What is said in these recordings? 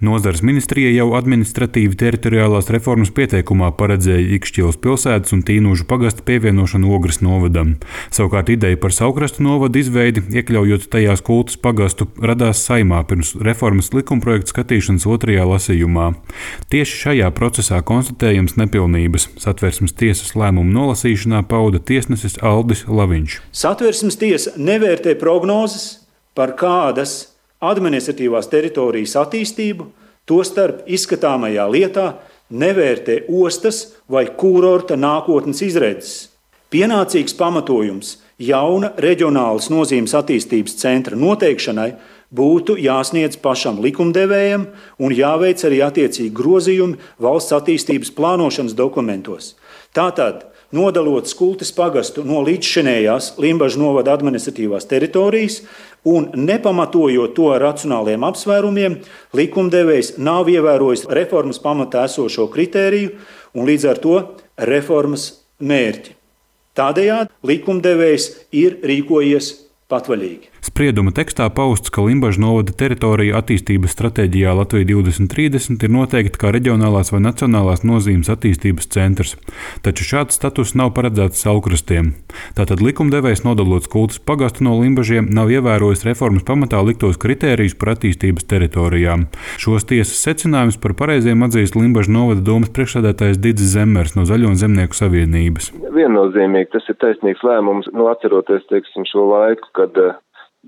Nozares ministrija jau administratīvi teritoriālās reformas pieteikumā paredzēja Ikšķilas pilsētas un Tīnūžu pagasta pievienošanu Ogres novadam. Savukārt ideja par Saukrastu novadu izveidi, iekļaujot tajā Kultas pagastu, radās Saeimā pirms reformas likumprojekta skatīšanas otrajā lasījumā. Tieši šajā procesā konstatējams nepilnības. Satversmes tiesas lēmumu nolasīšanā pauda tiesnesis Aldis Laviņš. Satversmes tiesa nevērtē prognozes par kādas administratīvās teritorijas attīstību, tostarp izskatāmajā lietā nevērtē ostas vai kurorta nākotnes izredzes. Pienācīgs pamatojums jauna reģionālas nozīmes attīstības centra noteikšanai būtu jāsniedz pašam likumdevējam un jāveic arī attiecīgi grozījumi valsts attīstības plānošanas dokumentos. Tātad, nodalot Kultas pagastu no līdzšinējās Limbažu novada administratīvās teritorijas un nepamatojot to ar racionāliem apsvērumiem, likumdevējs nav ievērojis reformas pamatā esošo kritēriju un līdz ar to reformas mērķi. Tādējādi likumdevējs ir rīkojies patvaļīgi. Sprieduma tekstā pausts, ka Limbažu novada teritorija attīstības stratēģijā Latvija 2030 ir noteikta kā reģionālās vai nacionālās nozīmes attīstības centrs, taču šāds status nav paredzēts Saukrastiem. Tātad likumdevējs, nodalot Kultas pagastu no Limbažiem, nav ievērojis reformas pamatā liktos kritērijus par attīstības teritorijām. Šos tiesas secinājumus par pareiziem atzīst Limbažu novada domas priekšsēdētājs Didzis Zemmers no Zaļo un Zemnieku savienības. Viennozīmīgi tas ir taisnīgs lēmums, atceroties, šo laiku, kad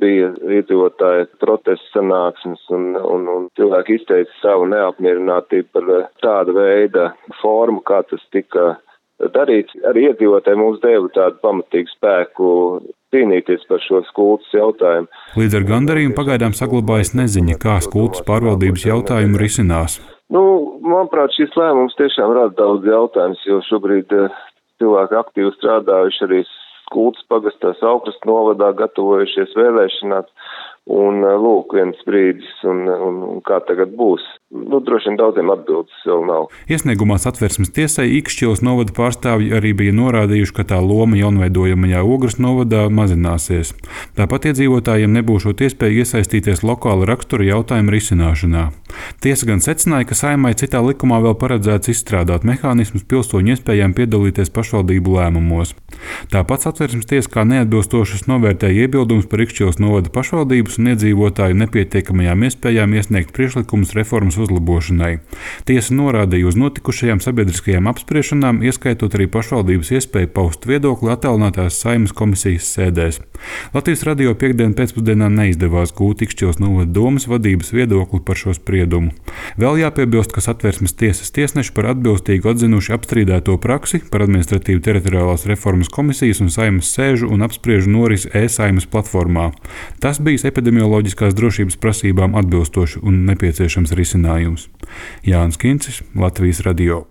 bija iedzīvotāji protestu sanāksmes un cilvēki izteica savu neapmierinātību par tāda veida formu, kā tas tika darīts. Arī iedzīvotāji mums deva tādu pamatīgu spēku cīnīties par šo Kultas jautājumu. Līdz ar gandarījumu pagaidām saglabājas neziņa, kā Kultas pārvaldības jautājumu risinās. Manuprāt, šis lēmums tiešām rada daudz jautājumus, jo šobrīd cilvēki aktīvi strādājuši arī Kultas pagastā Saukrastu novadā, gatavojušies vēlēšanās, un lūk, viens brīdis, un kā tagad būs. Droši vien daudziem atbildes vēl nav. Iesniegumā Satversmes tiesai Ikšķilas novada pārstāvji arī bija norādījuši, ka tā loma jaunveidojamajā Ogres novadā mazināsies. Tāpat iedzīvotājiem nebūšot iespēja iesaistīties lokāla rakstura jautājumu risināšanā. Tiesa gan secināja, ka Saeimai citā likumā vēl paredzēts izstrādāt mehānismus pilsoņu iespējām piedalīties pašvaldību lēmumos. Tāpat Satversmes tiesa kā neatbilstošas novērtēja iebildumus par Ikšķilas novada pašvaldības un iedzīvotāju nepietiekamajām iespējām iesniegt priekšlikumus reformas uzlabošanai. Tiesa norādīja uz notikušajām sabiedriskajām apspriešanām, ieskaitot arī pašvaldības iespēju paust viedokli attālinātās Saeimas komisijas sēdēs. Latvijas radio piektdien pēcpusdienā neizdevās gūt Ikšķilas novada domas vadības viedokli par šo spriedumu. Vēl jāpiebilst, ka Satversmes tiesas tiesneši par atbilstīgu atzinuši apstrīdēto praksi par administratīvu teritoriālās reformas komisijas un Saeimas sēžu un apspriežu norisi e-Saeimas platformā. Tas bijis epidemioloģiskās drošības prasībām atbilstoši un nepieciešams risinājums. Jānis Kincis, Latvijas radio.